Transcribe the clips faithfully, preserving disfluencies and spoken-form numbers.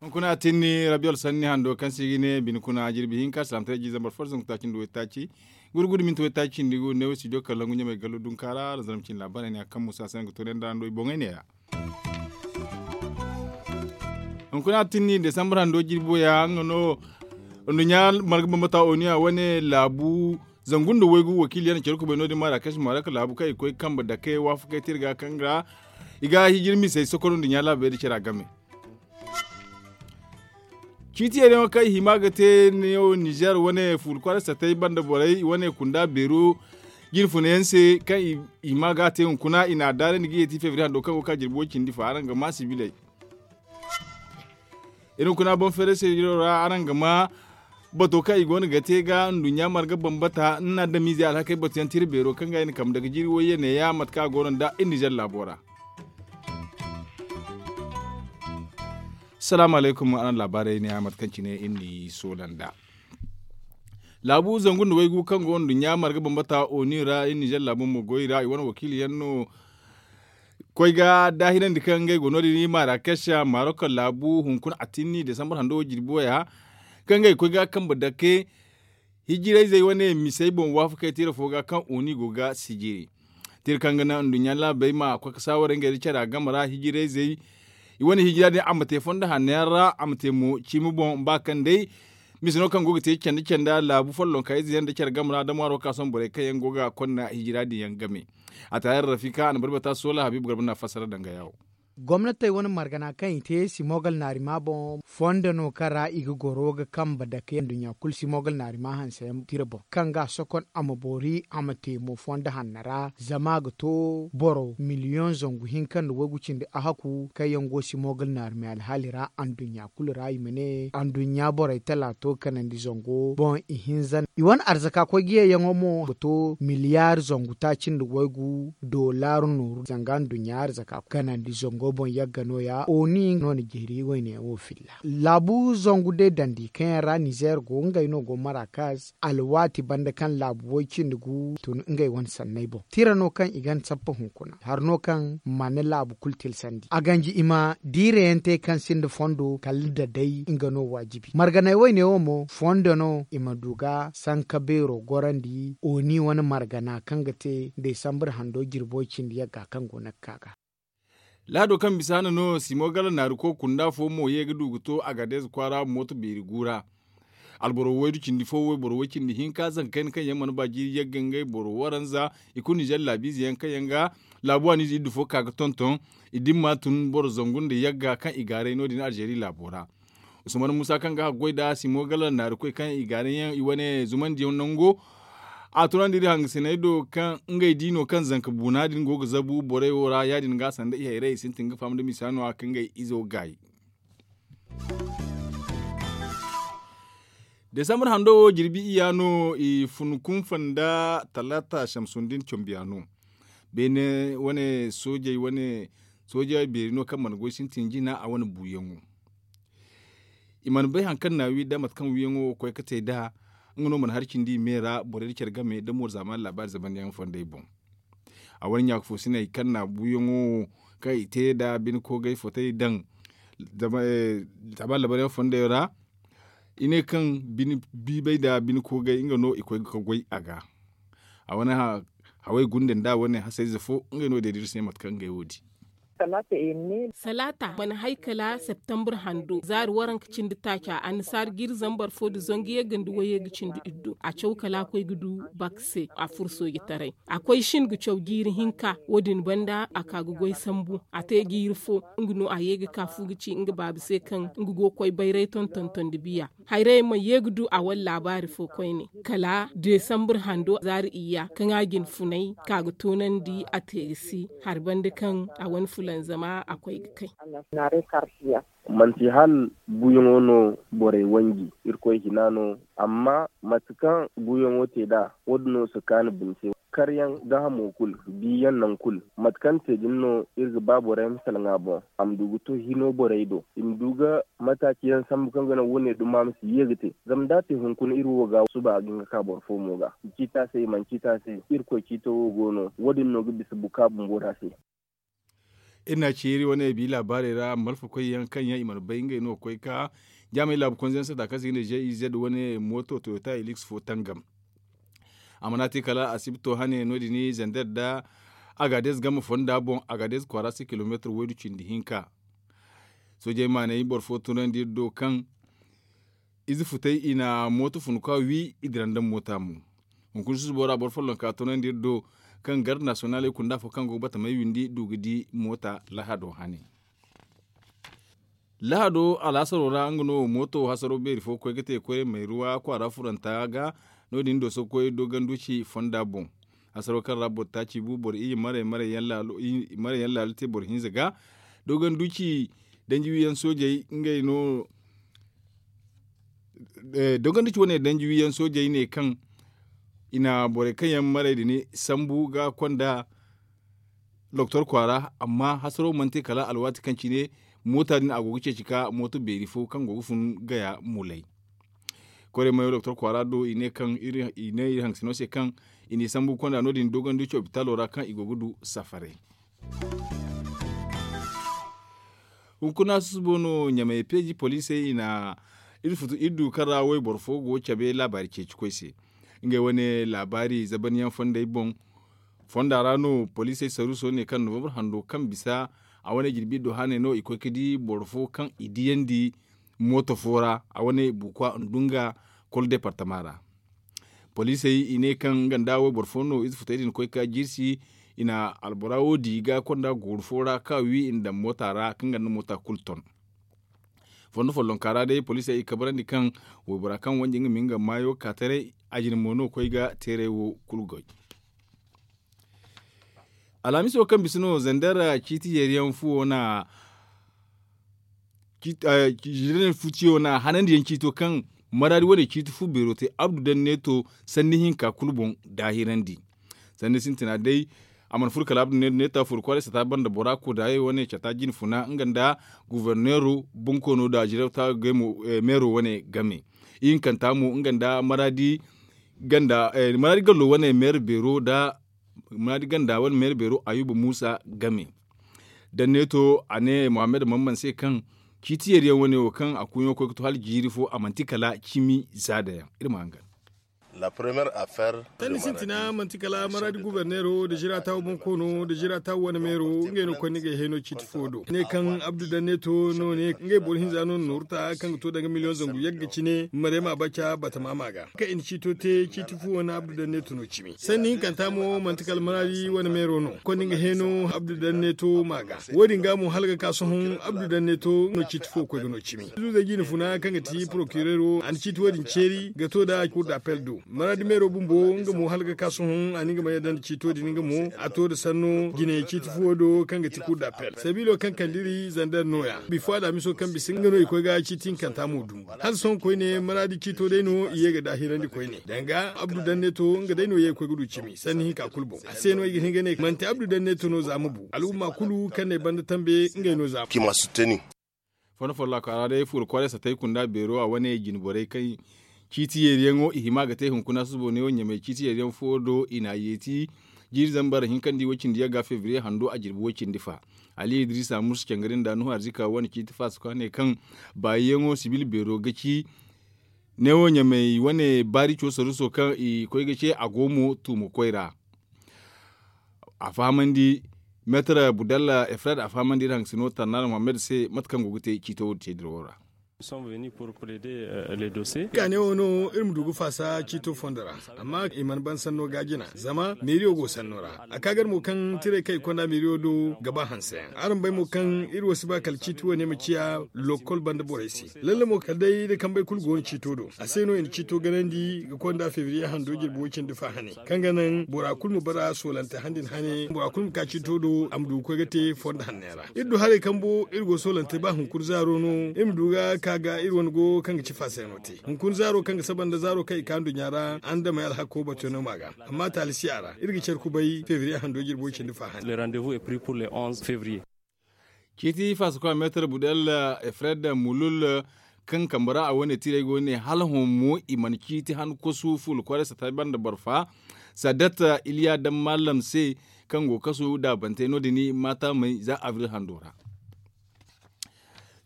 Hunkuna a tinni rabiyo alsanni hando kaŋ se i ga ne bine kuna jirbi hinka salaamataray jiizambar fo da zangu taaci nda waytaaci gurgudu minti waytaaci cindi gu neewo studio kalangu ɲamay gallo dunkaara da zarma cine laabaarey ne a kaŋ musa se nga toonay nda hando i boŋey ne- ya. Hunkuna a tinni desambar hando jirbi waya nga no nduɲɲa marga bambata oniya wane laabu zangu nda waygu wakiili yaŋ na care kubay no- din marakasi maraka laabu kaŋ i koy kambe dake waafakey te iri ga kaŋ ga i ga hijir misey sokoro nduɲɲa laabey da care a game. Ciiti yayyaŋo kaŋ i hima ga te neewo nizer wane fuula kwaara satay banda borey wane kunda beero jirfuna yaŋ se kaŋ i hima ga a te hunkuna i n'a daarandi ga yeeti febriye hando kaŋ go ga ka jirbi way cindi fa araŋ ga ma sibiley. Iri hunkuna boŋ feeray se jiro ra araŋ ga ma bato kaŋ i go no ga te ga nduɲɲa marga bambata nda adamiizey alhakey batu yaŋ tira beero kaŋ ga i na kambe daga jiiri wayye neeya mate kaŋ a go no nda iri nizer laabo ra. Salaamu alaykum araŋ laabaarey ne a mate kaŋ cine iri n'i soola nd'a. Laabu zangu nda waygu kaŋ go nduɲɲa marga bambata oni ra iri nizer laabu mo goy ra i wane wakiili yaŋ no koy ga daahirandi kaŋ ngey go no- din i marakes marok laabu hunkuna atinni desambar hando wo jirbi waya kaŋ ngey koy ga kambe dake hijirayzey wane misey boŋ waafakey tira fo ga kaŋ oni go ga sijiri tira kaŋ ga naŋ nduɲɲa laabey ma koy ga saawaray ngey da cara game ra hijirayzey i wane hijira din a ma te fondo hanno yaŋ ra a ma te mo ciimi boŋ ba kaŋ day mise no kaŋ go ga te canda canda laabu follonka ize yaŋ da care game ra da ŋwaaro ka sohõ borey kaŋ yaŋ go ga konna hijira din yaŋ game. A taayar rafika a na barbata soola habiibu garba na fassara danga yawo. Gomnatey wane margana kaŋ i te simogal naarima boŋ fondo no kaŋ ra i ga goro ga kambe dake nduɲɲa kulu simogal naarima hanse yaŋ tira boŋ kaŋ ga a sokon a ma boori a ma te mo fondo hanno ra zama a ga to boro miliyoŋ zangu hinka nda waygu cindi a haku kaŋ yaŋ go simogal naarima alhaali ra anduɲɲa kulu ra i ma ne anduɲɲa borey talaato kanandi zango boŋ i hinza no i wane arzaka koy ga yeeyaŋo mo ga to miliyar zangu taaci nda waygu dollar nooru zanga nduɲɲa arzaka kanandi zango boŋ yagga no- ya oni no na jeeri wayne wo filla laabu zangu day dandi kaŋ yaŋ ra nizer go ngey no go marakas alwaati banda kaŋ laabu way cindi gu tun ngey wane sanney boŋ tira no kaŋ i gan sappa hunkuna har no kaŋ mana laabu kulu tilsandi a ganji i ma diirayaŋ te kaŋ sinda fondo kala da day nga no waajibi marganay wayne wo mo fondo no i ma du ga sanka beero gorandi oni wane margana kaŋ ga te desambar hando jirbo cindi yagga kaŋ go no ga ka ga. Laado kaŋ bisa hana no simo gala naari ko kunda fo mo ye ga du ga to a ga deeza kwaara mooto beeri guura alboro waydu cindi fo wayboro way cindi hinka zanka kayna kaŋ yaŋ mana ba jiiri yagga ngey boro waranza i kulu nizer laabiize yaŋ kaŋ yaŋ ga laabu waaniize iddu fo ka ga tonton i dimma tun boro zangu nda yagga kaŋ i gaaray no- din alzeeri laabo ra. Usman musa kaŋ ga haggoy nda simo gala naari koy kaŋ i gaaray yaŋ i wane zumandiyaŋ nango a tunandi iri hangasiney do kaŋ ngey di no kaŋ zanka buuna din go ga zabu borey wo ra ya- din ga sanda i hayray i sintin ga faham nda misa no- ya kaŋ ngey izo gaayi. Desambar hando wo jirbi iyya no i fun kunfa nda talaata samsundin combiya no beene wane soojey wane sooja beeri no kaŋ mana goy sintin jina a wane buuyaŋo. I mana bay hari kaŋ na a wi nda mate kaŋ wiiyaŋo koy ga te nd'a nga no mana hari cindi i me ra borey nda care game nda mooro zaamaani laabaari zamanyaŋ fondey boŋ. A wane ɲaaka fo sinay kaŋ na buuyaŋo kaŋ i te nda bine koogay fotey daŋ zama labaryaŋ fondey ra i ne kaŋ bine biibay nda bine koogay nga no i koy ga goy a ga. A wane haway gunde nda wane hasayze fo ngey no day da iri se mate kaŋ ngey wo di. Salaata mana hay kala septambur hando zaari waranka cindi taaca annasaara jiiri zambar fo nda zangu yagga nda wayye ga cindi iddu a caw kala a koy ga du bak se a furo soojitaray a koy shin ga caw jiiri hinka wo- din banda a ka ga goy sambu a te jiiri fo nga no a ye ga ka fu ga ci nga baaba se kaŋ nga go ga koy bayray tonton tondi biya. Hayray ma ye ga du a wane laabaari fo koyne kala desambur hando zaari iyya kaŋ a jin funay ka ga toonandi a te ga si hari banda kaŋ a wane fulanzama a koy ga kay. Manti hala buuyaŋo no borey wanji irkoy hina no amma mate kaŋ buuyaŋo te nd'a wo- din no si kaanu bine se. Karyaŋ gaahamo kulu, biyaŋ nangu kulu, mate kaŋ te din no iri ga ba borey ma salaŋ a boŋ, a ma du ga to hino borey do, i ma du ga mataaci yaŋ sambu kaŋ ga naŋ wo- ne duma ma si ye ga te. Zama da a te hunkuna iri wo ga suba a ga hin ga ka boro fo mo ga. I ciiti a se, i mana ciiti a se, irkoy ciito wo go no, wo- din no ga bisa buka bumbo da se. Iri n'a ci iri wane bi laabaarey ra malfakoy yaŋ kaŋ yaŋ i mana bay ngey no ga koy ka jaamay laabu konze yaŋ sata kaŋ se i ga ne g i z wane mooto toyota helix fo tangam. A mana te kala asibito hane no- din zander nda agades game fonda boŋ, agades kwaara se kilomeetir waydu cindi hinka. Soojey maanay boro fo tunandi iri do kaŋ ize futay i na mooto fun ka wi i dira nda moota mo. Hunkuna susubo ra boro follonka tunandi iri do kaŋ garde nasiyonaley kunda fo kaŋ go ga batamey windi du ga di moota lahado hane. Lahado alaasaro ra nga no mooto hasaro beeri fo koy ga te koy mayruwa kwaara furanta ga. No- din dooso koy doganduci fonda boŋ. Hasaro kaŋ ra boro taaci bu boro iyye maray maray yaŋ laalo te boro hinza ga. Doganduci danji wiyaŋ soojey ngey no dogondici wane danji wiyaŋ soojey ne kaŋ i na borey kaŋ yaŋ maray din sambu ga konda doktor kwaara. Amma hasaro mana te kala alwaati kaŋ cine moota din a go ga ceeci ka mooto beeri fo kaŋ go ga fun gaya mulay. Koyray mayo doktor kwaara do i ne kaŋ i ne iri hangasino se kaŋ i n'i sambu ga konda no- din dogondici opitalo ra kaŋ i go ga du safaray. Hunkuna susubo no ɲamay peeji poliisey i na iri futu iri du kaŋ ra wayboro fo go ga cabe laabaari ceeci koy se. Ngey wane laabaari zabanyaŋ fondey boŋ fonda ra no poliisey saruuso ne kaŋ novambar hando kaŋ bisa a wane jirbi iddu haaney no i koy ga di boro fo kaŋ i diyandi mooto fo ra a wane bukwa ndunga kol departama ra. Poliisey i ne kaŋ nga nda wayboro fo no ize futey din koy ga jirsi i na albora wo di ga konda gooru fo ra kaŋ a wi i na daŋ moota ra kaŋ ga nda moota kulu ton. Fondo follonka ra day poliisey i kabrandi kaŋ waybora kaŋ wanji nga ma nga maayo ka taray a jine mo no koy ga teeray wo kulu goy. Alhamiso kaŋ bisa no zander ciiti yeeriyaŋ fuwo na hanandiyaŋ ciito kaŋ maraadi wane ciiti fu beero te abdu danneeto sanni hinka kulu boŋ daahirandi. Sanni sintina day a mana furo kala abdu danneeto neeta furo kwaaray sata banda bora kodaayey wane cata jine funa nga nda guverneero bonkoono da jirawta meero wane game. Ihinkanta mo nga nda maraadi gallo wane meero beero da muraadi ganda wane meera beero ayuba muusa game. Danneeto a ne mohammed mamman se kaŋ ciiti yeeriyaŋ wane wo kaŋ a kuuɲo koy ga to hala jiiri fo a manti kala cimi zaada yaŋ iri ma hangan. Tani sintina manti kala maraadi guberneero da jiraatawo bonkoono da jiraatawo wane meero ngey no konni ga heeno ciiti fo do ne kaŋ abdu danneeto no ne ngey boro hinza no na nooru ta kaŋ ga to danga miliyoŋ zangu yagga cine marema baca batama ma ga kaŋ i na ciito te ciiti fu wane abdu danneeto no cimi sanni hinkanta mo manti kala maraadi wane meero no konni nga heeno abdu danneeto ma ga. Wo- din ga mo hala ga ka sohõ abdu danneeto no ciiti fo koy ga no cimi. Zuuzey jiine funa kaŋ ga ti porokireero a na ciiti wo- din ceeri ga to nda kur d'appel do maraadi meero bumbo nga mo hala ga ka sohõ a na nga ma yadda nda ciito din nga mo a to nda sanno jine ciiti fuwo do kaŋ ga ti kur d'appel sabiilo kaŋ kande iri zander nooya bifo alhamiso kaŋ bisa nga no i koy ga ciiti hinkanta mo dumbu hala sohõ koyne maraadi ciito day no i ye ga daahirandi koyne danga abdu danneeto nga day no ye ga koy ga du cimi sanni hinka kulu boŋ a se no ay ga hin ga ne manti abdu danneeto no za ma bu al'umma kulu kaŋ ne banda tambe ngey no za ma bu. Fondo folloka ra day fuuro kwaaray satay kunda beero a wane jine borey kaŋ ciiti yeeriyaŋo i hima ga te hunkuna susubo neewo ɲamay ciiti yeeriyaŋ fo do i n'a yeeti jiiri zambar hinkandi way-cindi yagga febriye hando a jirbi way-cindi fa. Ali idrisa musu cangari nda nuhu arzika wane ciiti faso kaŋ ne kaŋ baayiyaŋo sibil beero ga ci neewo ɲamay wane baari cooso ruso kaŋ i koy ga ce a go mo tuumo koy ra. A fahamandi meetar budalla efrad a fahamandi iri hangasino tarnaana mohammed se mate kaŋ go ga te ciito wo- din te dirawo ra. Ka ne wo no iri ma du ga faasa ciito fondo ra amma i mana ban sanno ga jina zama meeriyo go sanno ra a ka gar mo kaŋ tiray kaŋ i konda meeriyo do ga ba hanse yaŋ araŋ bay mo kaŋ iri wo si ba kala ciiti wo- ne ma ciya lokol banda borey se. Lalle mo kala day da kambey kulu go no ciito do a se no i na ciito ganandi ga konda febriye hando jirbi way-cindi fa hane kaŋ ga naŋ bora kulu ma bara soolante handi nda hane bora kulu ma ka ciito do a ma du ga koy ga te fondo hanney ra. Iri du haray kambo iri go soolante ba hunkuna zaaro no iri ma du ga A ga iri wane go kaŋ ga ci faasayano te hunkuna zaaro kaŋ ga saba nda zaaro kaŋ i ka nduɲɲa ra andamey alhakko batuyaŋo ma ga. Amma taali si a ra iri ga care kubay febriye hando jirbo cindi fa hane. Ciiti faasa koy a meetar budel, efred mulul kaŋ kambe ra a wane tiirey go ne hala hõ mo i mana ciiti han kosu fuula kwaaray sata banda barfa sadat iliya daŋ mallam se kaŋ go kasu daabante no- din maata may za abril hando ra.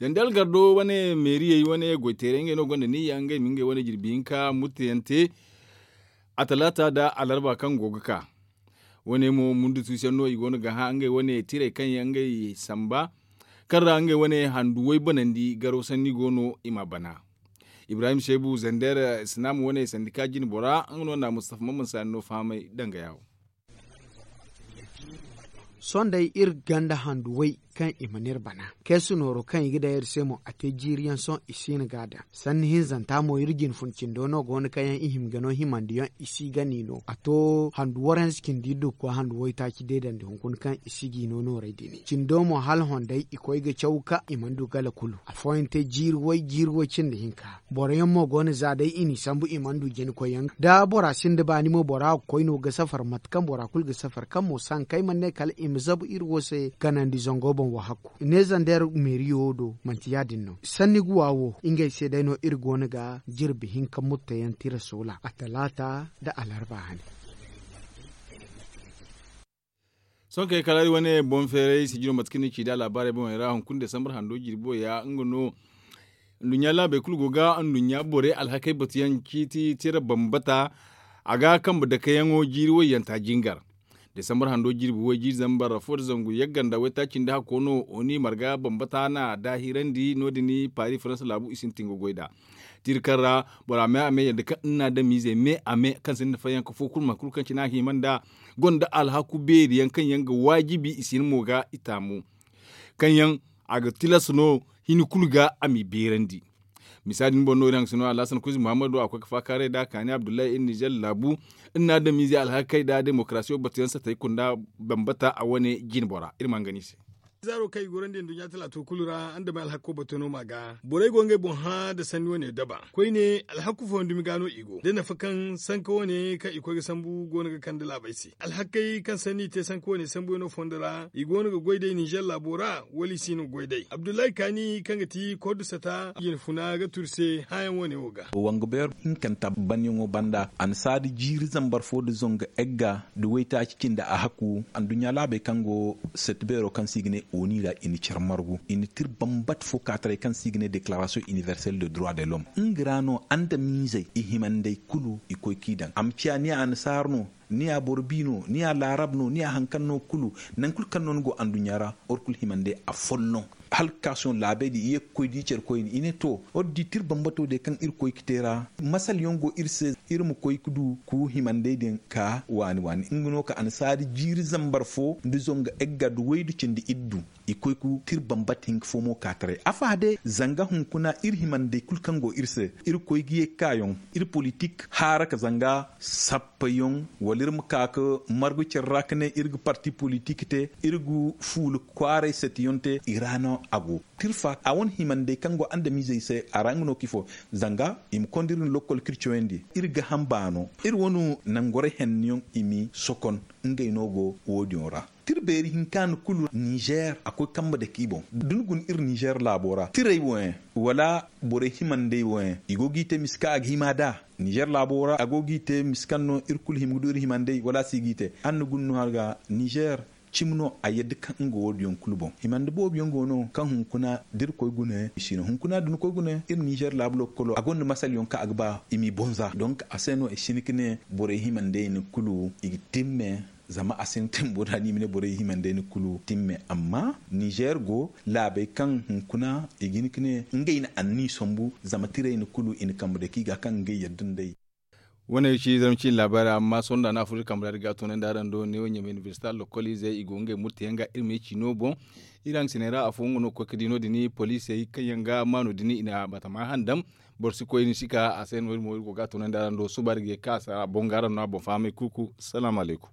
Zandel gardo wane meeriyey wane goyteerey ngey no gonda niyya ngey ma ngey wane jirbi hinka murtayaŋ te a talaata nda alarba kaŋ go ga ka. Wane mo mundu tuusiyaŋ no i go no ga hã ngey wane tiirey kaŋ yaŋ ngey samba kaŋ ra ngey wane handuwey banandi garo sanni go no i ma bana. Ibrahim seebu zander sinaama wane sandika jine bora nga no na mustafa maman saani no fahamay danga yaawo. Sohõ day iri ganda handu way kaŋ i mana iri bana. Keesu nooro kaŋ i ga daŋ iri se mo a te jiiri yaŋ sohõ i si hin ga a daŋ sanni hinzanta mo iri jine fun cindo no go no kaŋ yaŋ i hima ga no himandiyaŋ i si ga ni no a to handu waranza cindi iri du ga koy handu waytaaci deedandi hunkuna kaŋ i si g'i no noorey din cindo mo hala hondey i koy ga caw kaŋ i mana du gala kulu afooyaŋ te jiiri way jiiri way cindi hinka. Boro yaŋ mo go no za day i n'i sambu i mana du jina koyyaŋ da bora sinda baani mo bora ga koy no ga safar mate kaŋ bora kulu ga safar kaŋ mo sankey mana ne kala i ma zabu iri wo se ganandi zango boŋ wo hakku ne zander meeriyo do manti ya- din no sanni guwa wo ngey se day no iri go no ga jirbi hinka murtayaŋ tira soola a talaata nda alarba hane. Sohõ kay kala iri wane boŋ feeray sijiro mate kaŋ ni ci da laabaarey boŋey ra hunkuna desambar hando jirbo ya nga no. Nduɲɲa laabey kulu go ga nduɲɲa borey alhakey batuyaŋ ciiti tira bambata. A ga kambe dakeyaŋo jiiri wayyanta jingar desambar hando jirbi way jiiri zambar fo nda zangu yagga nda waytaaci nda hakko no oni marga bambata na daahirandi no- din paari faransa laabu i sintin ga goy nd'a. Tira kaŋ ra bora me a me yadda kaŋ iri na adamizey me a me kaŋ sinda fayyanka fo kulu mate kulu kaŋ cine a hima nd'a gonda alhaku beeri yaŋ kaŋ yaŋ ga waajibi i si hin mo ga i taamu kaŋ yaŋ a ga tilas no hini kulu ga a m'i beerandi. Misa din boŋ no iri hangasino alhasan kuzi muhammadu a koy ga faakaaray nd'a kaani abdullahi iri nizer laabu iri na adamizey alhakey nd'a demokarasiyo batuyaŋ satey kunda bambata a wane jine bora iri ma hangan i se. Zaaro kaŋ i gorandi nduɲɲa talaato kulu ra andamey alhakko bato no ma ga borey go ngey boŋ hã nda sanni wane daba koyne alhakku fondo dumi ga no i go da nafa kaŋ sanka wane kaŋ i koy ga sambu go no ga kande laabey se alhakkey kaŋ sanni i te sanka wane sambuyaŋo fondo ra i go no ga goy day ninzeer laabo ra wala i si no ga goy day abdullahi kaani kaŋ ga ti kordu sata jinfuna ga turu se hããyaŋ wane wo ga. Wanga beero hinkanta banyaŋo banda annasaari jiiri zambar fo nda zangu egga nda waytaaci cindi a hakku anduɲɲa laabey kaŋ go sette beero kaŋ se i ga ne oni ra i na care margu i na tira bambata fo kaataray kaŋ se i ga ne declaration universelle de droit de l'homme nga ra no andamiizey i himandey kulu i koy k'i daŋ a ma ciya ni annasaara no ni ya boro bi no ni ya laarab no ni ya hari kaŋ no kulu nangu kulu kaŋ no ni go anduɲɲa ra boro kulu himandey afolloŋ. Hala ga ka sohõ laabey din i ye ga koy di care koyne i ne to iri di tira bambato day kaŋ iri koy ga te ra masala yaŋ go iri se iri ma koy ga du ga himandey din ka waani waani nga no ka annasaari jiiri zambar fo nda zangu egga nda waydu cindi iddu i koy ga tira bambata hinka fo mo ka taray afa day zanga hunkuna iri himandey kulu kaŋ go iri se iri koy ga ye ga ka yaŋ iri politik haara ka zanga sappayaŋ wala iri ma ka ga margu care ra ga ne iri ga parti politik te iri ga fuula kwaaray setiyaŋ te i ra no a go. Tirfa a wane himandey kaŋ go andamiizey se a ra nga no ka ifo zanga i ma konda iri nda lokkol kaŋ iri cawandi iri ga hamba no iri wane nangorey henniyaŋ i m'i sokon ngey no go wo- din ra. Tira beeri hinka no kulu ninzeer a koy kambe dake i boŋ da ni guna iri ninzeer laabo ra tirey wo yaŋ wala borey himandey wo yaŋ i go g'i te misa kaŋ a ga hima nd'a ninzeer laabo ra a go g'i te misa kaŋ no iri kulu hima ga du iri himandey wala a si g'i te hala ni guna no hari ga ninzeer cimi no a yadda kaŋ nga wo- din yaŋ kulu boŋ himandi boobo yaŋ go no kaŋ hunkuna da iri koy guna i si no hunkuna da ni koy guna iri ninzeer laabu lokkolo a gonda masala yaŋ kaŋ a ga ba i m'i bonza donk a se no i si hin ga ne borey himandey ni kulu i ga timme zama a sintin bora no i ma ne borey himandey ni kulu timme amma ninzeer go laabey kaŋ hunkuna i ga hin ga ne ngey na anniya sambu zama tirey ni kulu i na kambe dake i ga kaŋ ngey yadda nd'ey. Wane ga ci zarma ciine laabaari amma sohõ da no a furo iri kambe ra iri ga a toonandi araŋ do neewo ɲamay inibersita lokkol izey i go ngey murtayaŋ ga iri ma ye ciino boŋ. Iri hangasiney ra afo nga no ga koy ga di no- din poliisey kaŋ yaŋ ga maano din i na batama handam. Boro si koy ni si ka a se no- din mo iri go ga a toonandi araŋ do suba iri ga ye ga ka a se a boŋ ga araŋ no a boŋ fahamay kurku salaamu alaykum.